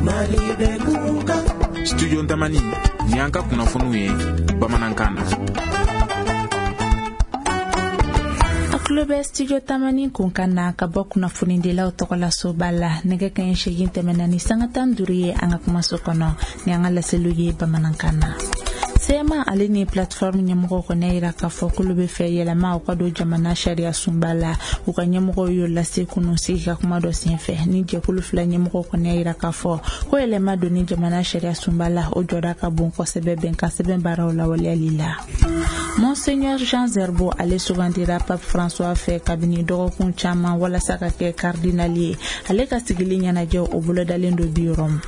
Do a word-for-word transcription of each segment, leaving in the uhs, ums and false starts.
Mali bɛ kunkan. Studio Tamani, ni an ka kunnafoniw ye bamanankan na. Tulo bɛ studio Tamani kunkan na ka bɔ kunnafonidilaw tɔgɔ la soba la nɛgɛ kanɲɛ seegin tɛmɛna ni sanga tan duuru ye an ka kumaso kɔnɔ ni an ka laseliw ye bamanankan na. C M A ale ni plateforme ɲɛmɔgɔw kɔni y'a jira k'a fɔ k'olu bɛ fɛ yɛlɛma u ka don jamana sariya sunba la. U ka ɲɛmɔgɔw y'o lase kunun sigi ka kuma dɔ senfɛ. Ni jɛkulu fila ɲɛmɔgɔw kɔni y'a jira k'a fɔ ko yɛlɛma donni jamana sariya sunba la o jɔda ka bon kosɛbɛ bɛnkan sɛbɛn baaraw lawaleyali la. Monseigneur Jean Zerbo ale sugandira Pape François fɛ kabini dɔgɔkun caman walasa ka kɛ cardinal ye. Ale ka sigili ɲɛnajɛ o bolodalen don bi Rome.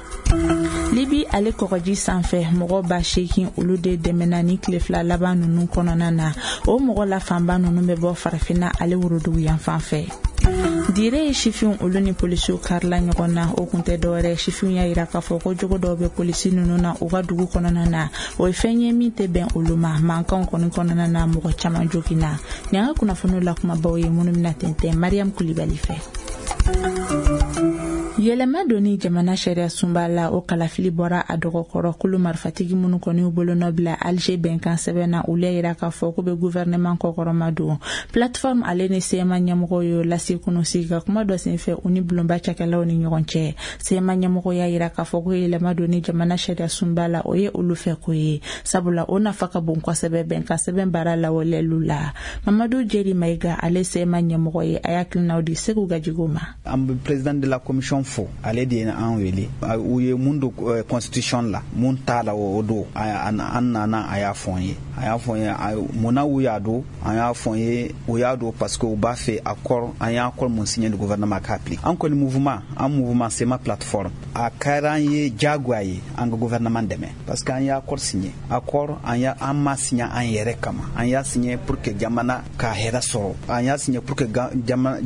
Libi ale kɔgɔji sanfɛ mɔgɔ ba seegin olu de dɛmɛna ni tile fila laban ninnu kɔnɔna na. O mɔgɔ la fanba ninnu bɛ bɔ farafinna ale worodugu yanfan fɛ. Dire ye sifinw olu ni polisiw karila ɲɔgɔn na. O kun tɛ dɔwɛrɛ, sifinw y'a jira k'a fɔ ko jogo dɔw bɛ polisi ninnu na u ka dugu kɔnɔna na. O ye fɛn ye min tɛ bɛn olu ma. Mankanw kɔni kɔnɔna na mɔgɔ caman joginna. Nin an ka kunnafoniw la kumabaw ye minnu bɛna tɛntɛn Mariam Kulibali fɛ. Yɛlɛma donni jamana sariya sunba la o kalafili bɔra a dɔgɔkɔrɔ. Kulu marifatigi minnu kɔni y'u bolonɔ bila Alger bɛnkan sɛbɛn na olu y'a jira k'a fɔ k'u bɛ gouvernement kɔkɔrɔma don. Plateforme ale ni C M A ɲɛmɔgɔw y'o lase kunun sigi ka kuma dɔ senfɛ u ni bulonba cakɛlaw ni ɲɔgɔn cɛ. C M A ɲɛmɔgɔw y'a jira k'a fɔ ko yɛlɛma donni jamana sariya sunba la o ye olu fɛ ko ye, sabula o nafa ka bon kosɛbɛ bɛnkan sɛbɛn baara lawaleyaliw la. Mamadu Jeri Mayiga ale C M A ɲɛmɔgɔ ye, a y'a hakilinaw di Segu Gajigo ma. An bɛ président de la commission fo, ale de ye an wele. U ye mun don constitution la, mun t'a la o don an nana a y'a fɔ an ye. A y'a fɔ an ye munna u y'a don, an y'a fɔ an ye u y'a don parce que u b'a fɛ accord, an y'a accord mun signé le gouvernement k'a appliquer. An kɔni mouvement, an mouvement C M A plateforme, a kɛra an ye diyagoya ye an ka gouvernement dɛmɛ parce que an y'a accord signé. Accord an y'a an ma signé an yɛrɛ kama, an y'a signé pour que jamana ka hɛrɛ sɔrɔ, an y'a signé pour que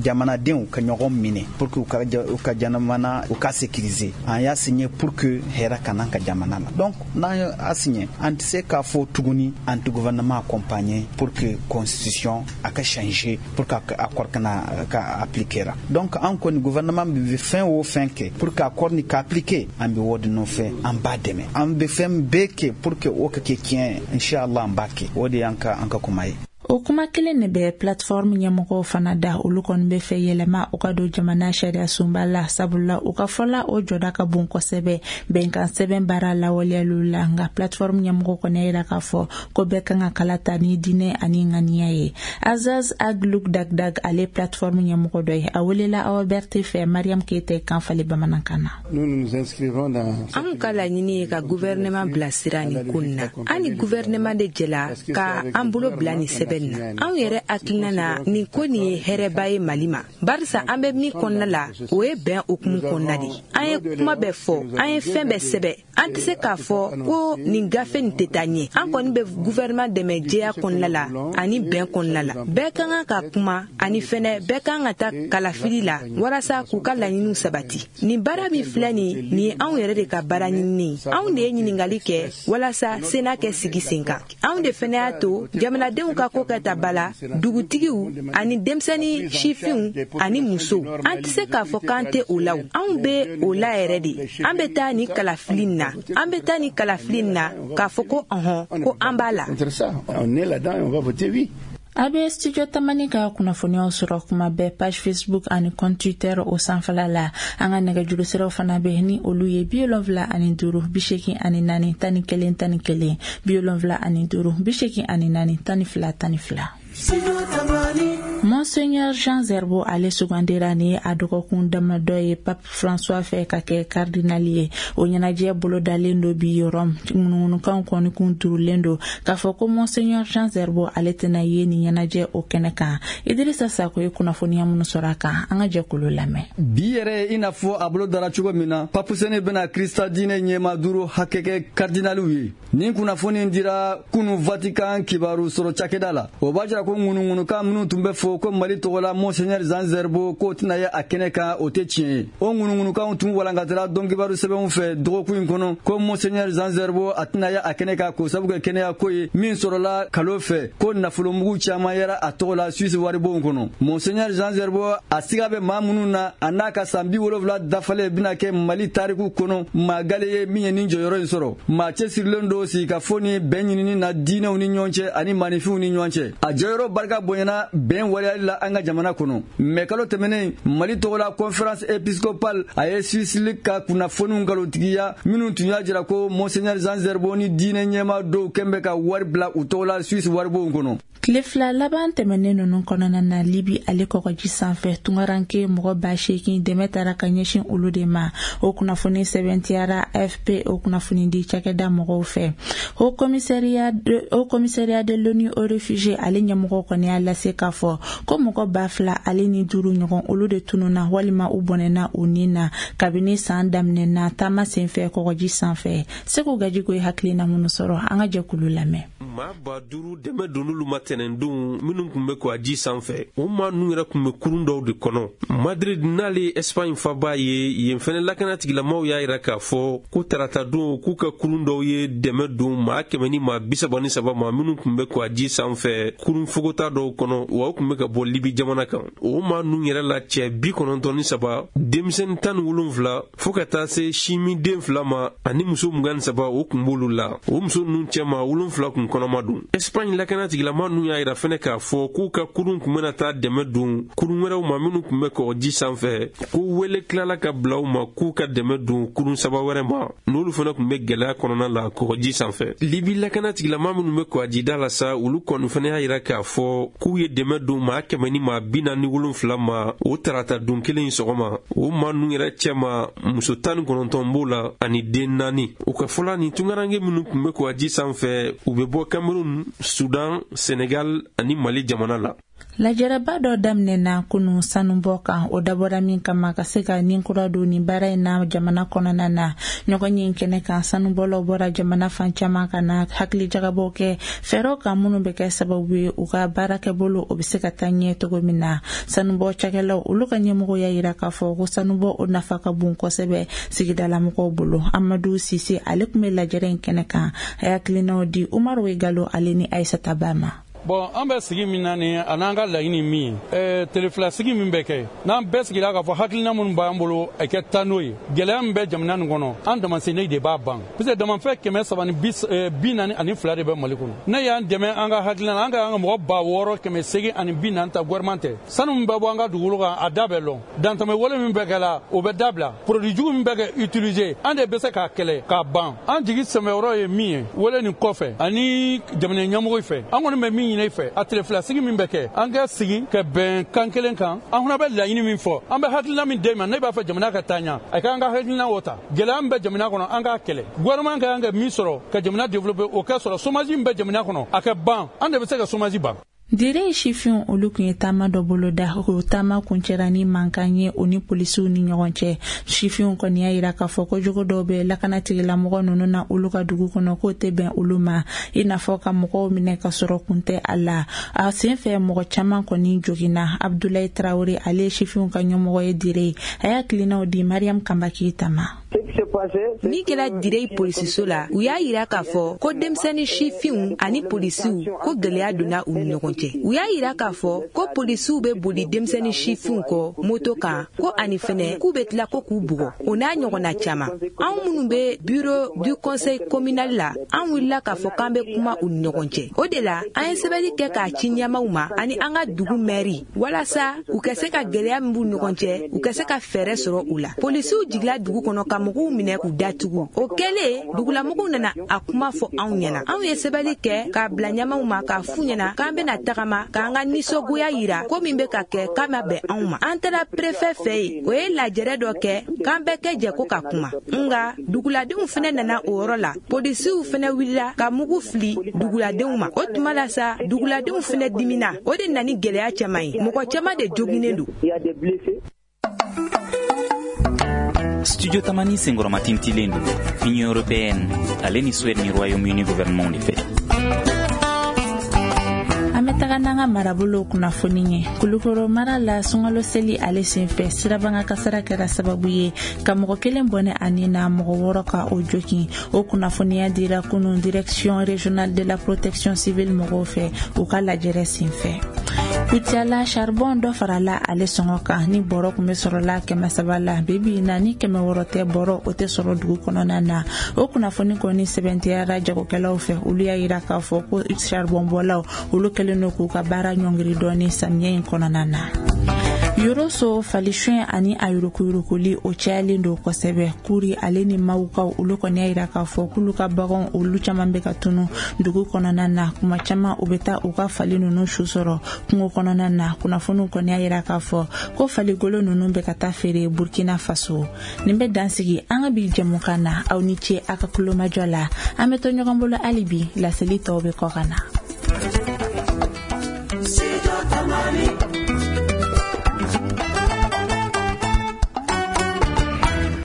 jamanadenw ka ɲɔgɔn minɛ, pour que u ka u ka jamana u ka sécuriser, an y'a signé pour que hɛrɛ ka n'an ka jamana la. Donc n'an y'a signé, an tɛ se k'a fɔ tuguni an tɛ gouvernement accompagner pour que constitution a ka changer pour que accord kana ka appliquer la. Donc an kɔni gouvernement bɛ fɛn o fɛn kɛ pour que accord ni ka appliquer, an bɛ o de nɔfɛ, an b'a dɛmɛ, an bɛ fɛn bɛɛ kɛ pour que o ka kɛ tiɲɛ, inchallah an b'a kɛ. O de y'an ka an ka kuma ye. O kuma kelen de bɛ plateforme ɲɛmɔgɔw fana da. Olu kɔni bɛ fɛ yɛlɛma u ka don jamana sariya sunba la, sabula u ka fɔla o jɔda ka bon kosɛbɛ bɛnkan sɛbɛn baara lawaleyaliw la. Nka plateforme ɲɛmɔgɔw kɔni y'a jira k'a fɔ ko bɛɛ kan ka kala ta ni diinɛ ani ŋaniya ye. Azaz Agluk Dagdag ale plateforme ɲɛmɔgɔ dɔ ye, a welela Awa Berthe fɛ Mariam Keyita kan falen bamanankan na. Anw ka laɲini ye ka gouvernement bilasira nin ko nin na. An ni gouvernement de jɛla ka an bolo bila nin sɛbɛn na. Anw yɛrɛ hakilina na nin ko nin ye hɛrɛba ye Mali ma, barisa an bɛ min kɔnɔna la o ye bɛn hukumu kɔnɔna de. An ye kuma bɛɛ fɔ, an ye fɛn bɛɛ sɛbɛn, an tɛ se k'a fɔ ko nin gafe nin tɛ taa ɲɛ. An kɔni bɛ gouvernement dɛmɛ jɛya kɔnɔna la ani bɛn kɔnɔna la. Bɛɛ ka kan ka kuma ani fɛnɛ bɛɛ ka kan ka taa kalafili la walasa k'u ka laɲiniw sabati. Nin baara min filɛ nin, nin ye anw yɛrɛ de ka baara ɲinini ye. Anw de ye ɲininkali kɛ walasa Sénat kɛ sigi sen kan. Anw de fɛnɛ y'a to jamanadenw ka ko kɛ ta ba la, dugutigiw ani denmisɛnnin sifinw ani musow. An tɛ se k'a fɔ k'an tɛ o la o. Anw bɛ o la yɛrɛ de. An bɛ taa nin kalafili nin na. An bɛ taa nin kalafili nin na k'a fɔ ko ɔhɔn ko an b'a la. A bɛ studio Tamani ka kunnafoniyaw sɔrɔ kuma bɛɛ page Facebook ani compte Twitter o sanfɛla la. An ka nɛgɛjuru siraw fana bɛ ni olu ye bi wolonwula ani duuru bi seegin ani naani tan ni kelen tan ni kelen bi wolonwula ani duuru bi seegin ani naani tan ni fila tan ni fila. Monseigneur Jean Zerbo ale sugandira ni a dɔgɔkun damadɔ ye Pape François fɛ ka kɛ cardinal ye. O ɲɛnajɛ bolodalen don bi Rome. Ŋunuŋunukanw kɔni kun turulen don k'a fɔ ko Monseigneur Jean Zerbo ale tɛna ye nin ɲɛnajɛ o kɛnɛ kan. Idrissa Sako ye kunnafoniya minnu sɔrɔ a kan, an ka jɛ k'olu lamɛn. Bi yɛrɛ i n'a fɔ a bolo dara cogo min na, Pape Sene bɛna Krista diinɛ ɲɛmaa duuru hakɛ kɛ cardinaliw ye. Nin kunnafoni dira kunu Vatican kibaru sɔrɔ cakɛda la. O b'a jira ko ŋunuŋunukan minnu tun bɛ fɔ ko Mali tɔgɔ la Monseigneur Jean Zerbo k'o tɛna ye a kɛnɛ kan, o tɛ tiɲɛ ye. O ŋunuŋunukanw tun walankatara dɔnkibaru sɛbɛnw fɛ dɔgɔkun in kɔnɔ ko Monseigneur Jean Zerbo a tɛna ye a kɛnɛ kan k'o sabu kɛ kɛnɛya ko ye min sɔrɔla kalo fɛ, ko nafolomugu caman yera a tɔgɔ la Suisse waribonw kɔnɔ. Monseigneur Jean Zerbo a siga bɛ maa minnu na, a n'a ka san bi wolonwula dafalen bɛna kɛ Mali tariku kɔnɔ maa gale ye min ye nin jɔyɔrɔ in sɔrɔ. Maa cɛsirilen don sigikafo ni bɛn ɲinini na diinɛw ni ɲɔgɔn cɛ ani maaninfinw ni ɲɔgɔn cɛ. A jɔyɔrɔ barika bonyana bɛn waleyali la an ka jamana kɔnɔ. Mɛ kalo tɛmɛnen, Mali tɔgɔla conférence épiscopale a ye Suisse ka kunnafoniw nkalontigiya minnu tun y'a jira ko Monseigneur Jean Zerbo ni diinɛ ɲɛmaa dɔw kɛn bɛ ka wari bila u tɔgɔ la Suisse waribonw kɔnɔ. Tile fila laban tɛmɛnen ninnu kɔnɔna na, Libi ale kɔgɔji sanfɛ tungaranke mɔgɔ ba seegin dɛmɛ taara ka ɲɛsin olu de ma. O kunnafoni sɛbɛntiyara A F P o kunnafoni di cakɛda mɔgɔw fɛ. Haut commissariat de, Haut commissariat de l'ONU aux réfugiés ale ɲɛmɔgɔ kɔni y'a lase k'a fɔ ko mɔgɔ ba fila ale ni duuru ɲɔgɔn olu de tununna walima u bɔnɛna u ni na kabini san daminɛna taama senfɛ kɔgɔji sanfɛ. Segu Gajigo ye hakilina minnu sɔrɔ, an ka jɛkulu lamɛn. Maa ba duuru dɛmɛ donn'olu ma tɛnɛndon minnu tun bɛ kɔgɔji sanfɛ, o maa ninnu yɛrɛ tun bɛ kurun dɔw de kɔnɔ. Madrid n'ale ye Espagne faba ye, yen fɛnɛ lakanatigilamaw y'a yira k'a fɔ ko taratadon k'u ka kurun dɔw ye dɛmɛ don maa kɛmɛ ni maa bi saba ni saba ma minnu tun bɛ kɔgɔji sanfɛ kurun fogota dɔw kɔnɔ, wa u tun bɛ ka bɔ Libi jamana kan. O maa ninnu yɛrɛ la cɛ bi kɔnɔntɔn ni saba, denmisɛnnin tan ni wolonfila fo ka taa se simiden fila ma ani muso mugan ni saba, o tun b'olu la. O muso ninnu cɛma wolonfila kun kɔnɔma don. Espagne lakanatigilama ninnu y'a yira fɛnɛ k'a fɔ k'u ka kurun tun bɛna taa dɛmɛ don kurun wɛrɛw ma minnu tun bɛ kɔgɔji sanfɛ, ko wele tilala ka bila u ma k'u ka dɛmɛ don kurun saba wɛrɛ ma, n'olu fana tun bɛ gɛlɛya kɔnɔna la kɔgɔji sanfɛ. Libi lakanatigilama minnu bɛ kɔgɔjida la sa, olu kɔni fɛnɛ y'a yira k'a fɔ k'u ye dɛmɛ don maa kɛmɛ ni maa bi naani ni wolonfila ma o tarata don kelen in sɔgɔma. O maa ninnu yɛrɛ cɛma muso tan ni kɔnɔntɔn b'o la ani den naani. U ka fɔla nin tunkaranke minnu tun bɛ kɔgɔji sanfɛ, u bɛ bɔ Cameroun, Soudan, Sénégal ani Mali jamana la. Lajɛrɛba dɔ daminɛna kunu sanubɔ kan, o dabɔra min kama ka se ka nin kura don nin baara in na jamana kɔnɔna na. Ɲɔgɔn ye kɛnɛ kan, sanubɔlaw bɔra jamana fan caman ka na hakilijagabɔw kɛ fɛɛrɛw kan minnu bɛ kɛ sababu ye u ka baarakɛbolo o bɛ se ka taa ɲɛ cogo min na. Sanubɔ cakɛlaw olu ka ɲɛmɔgɔ y'a yira k'a fɔ ko sanubɔ o nafa ka bon kosɛbɛ sigidalamɔgɔw bolo. Amadu Sise ale tun bɛ lajɛrɛ in kɛnɛ kan, a y'a hakilinaw di Umaru Galo ale ni Ayisata Ba ma. Bon, an bɛ sigi min na nin, a n'an ka laɲini min ye, tele fila sigi min bɛ kɛ, n'an bɛɛ sigira k'a fɔ hakilina minnu b'an bolo a kɛ taa n'o ye, gɛlɛya min bɛ jamana nin kɔnɔ, an damasenni de b'a ban. Parce que damafɛn kɛmɛ saba ni bi naani ani fila de bɛ Mali kɔnɔ. Ne y'an dɛmɛ an ka hakilina na, an ka an ka mɔgɔ ba wɔɔrɔ kɛmɛ seegin ani bi naani ta gouvernement tɛ. Sanu min bɛ bɔ an ka dugukolo kan, a da bɛ lɔn. Dantɛmɛ wale min bɛ kɛ la, o bɛ dabila. Produit jugu min bɛ kɛ utiliser, an de bɛ se k'a kɛlɛ k'a ban. An jigi sɛmɛyɔrɔ ye min ye, wele nin kɔfɛ ani jamana ɲɛmɔgɔ fɛ, an kɔni bɛ min ɲini fɛ, a tile fila sigi min bɛ kɛ, an ka sigi ka bɛn kan kelen kan, an fana bɛ laɲini min fɔ, an bɛ hakilina min d'e ma, ne b'a fɛ jamana ka taa ɲɛ, a k'an ka hakilina o ta. Gɛlɛya min bɛ jamana kɔnɔ, an k'a kɛlɛ. Gouvernement ka kan ka min sɔrɔ ka jamana développer, o ka sɔrɔ. Chômage min bɛ jamana kɔnɔ, a ka ban. An de bɛ se ka chômage ban. Dire sifinw olu tun ye taama dɔ boloda, o taama kuncɛra ni mankan ye o ni polisiw ni ɲɔgɔn cɛ. Sifinw kɔni y'a yira k'a fɔ ko jogo dɔw bɛ lakanatigilamɔgɔ ninnu na olu ka dugu kɔnɔ k'o tɛ bɛn olu ma, i n'a fɔ ka mɔgɔw minɛ ka sɔrɔ kun tɛ a la. A senfɛ mɔgɔ caman kɔni joginna. Abdoulaye Traoré ale ye sifinw ka ɲɛmɔgɔ ye Dire, a y'a hakilinaw di Mariam Kanba Keyita ma. Min kɛra Dire polisiso la, u y'a yira k'a fɔ ko denmisɛnnin sifinw ani polisiw ko gɛlɛya donna u ni ɲɔgɔn cɛ. U y'a yira k'a fɔ ko polisiw bɛ boli denmisɛnnin sifinw kɔ moto kan, ko ani fɛnɛ k'u bɛ tila ko k'u bugɔ, o n'a ɲɔgɔnna caman. Anw minnu bɛ bureau du conseil communal la, an wulila k'a fɔ k'an bɛ kuma u ni ɲɔgɔn cɛ. O de la, an ye sɛbɛnni kɛ k'a ci ɲɛmaaw ma ani an ka dugu mɛri, walasa u ka se ka gɛlɛya min b'u ɲɔgɔn cɛ, u ka se ka fɛɛrɛ sɔrɔ u la. Polisiw jigila dugu kɔnɔ ka mɔgɔw minɛ k'u datugu. O kɛlen, dugulamɔgɔw nana a kuma fɔ anw ɲɛna. Anw ye sɛbɛnni kɛ k'a bila ɲɛmaaw ma k'a f'u ɲɛna k'an bɛna tagama k'an ka nisɔngoya yira ko min bɛ ka kɛ k'a ma bɛn anw ma. An taara préfet fɛ yen, o ye lajɛrɛ dɔ kɛ k'an bɛɛ kɛ jɛ ko ka kuma. Nka duguladenw fɛnɛ nana o yɔrɔ la, polisiw fɛnɛ wulila ka mugu fili duguladenw ma. O tuma la sa, duguladenw fɛnɛ dimina. O de nana ni gɛlɛya caman ye, mɔgɔ caman de joginnen don. Studio Tamani senkɔrɔma tintilen don Union européenne ale ni Suède ni Royaume-Uni gouvernement de fɛ. An bɛ taga taga n'an ka marabolo kunnafoni ye. Kulukoro mara la, sunkalo seli ale senfɛ, sirabanga kasara kɛra sababu ye ka mɔgɔ kelen bɔnɛ ani na mɔgɔ wɔɔrɔ ka o jokin. O kunnafoniya dira kunun Direction régionale de la protection civile mɔgɔw fɛ u ka lajɛrɛ senfɛ. Kucala, charbon dɔ farala ale sɔngɔ kan. Ni bɔrɔ kun bɛ sɔrɔla kɛmɛ saba la, bibi na ni kɛmɛ wɔɔrɔ tɛ, bɔrɔ o tɛ sɔrɔ dugu kɔnɔna na. O kunnafoni kɔni sɛbɛntiyara jagokɛlaw fɛ. Olu y'a yira k'a fɔ ko charbon bɔlaw, olu kɛlen don k'u ka baara ɲɔngiri dɔɔni samiyɛ in kɔnɔna na. Yoroso, falisiyɛn ani a yuruguyuruguli, o cayalen don kosɛbɛ. Kuri ale ni Mawukaw, olu kɔni y'a yira k'a fɔ k'olu ka baganw, olu caman bɛ ka tunu dugu kɔnɔna na. Kuma caman, u bɛ taa u ka fali ninnu su sɔrɔ kungo kɔnɔna na. Kunnafoniw kɔni y'a yira k'a fɔ ko faligolo ninnu bɛ ka taa feere Burkina Faso. Nin bɛ dansigi an ka bi jɛmukan na. Aw ni ce a ka kulomajɔ la. An bɛ to ɲɔgɔn bolo hali bi, laseli tɔw bɛ kɔ ka na.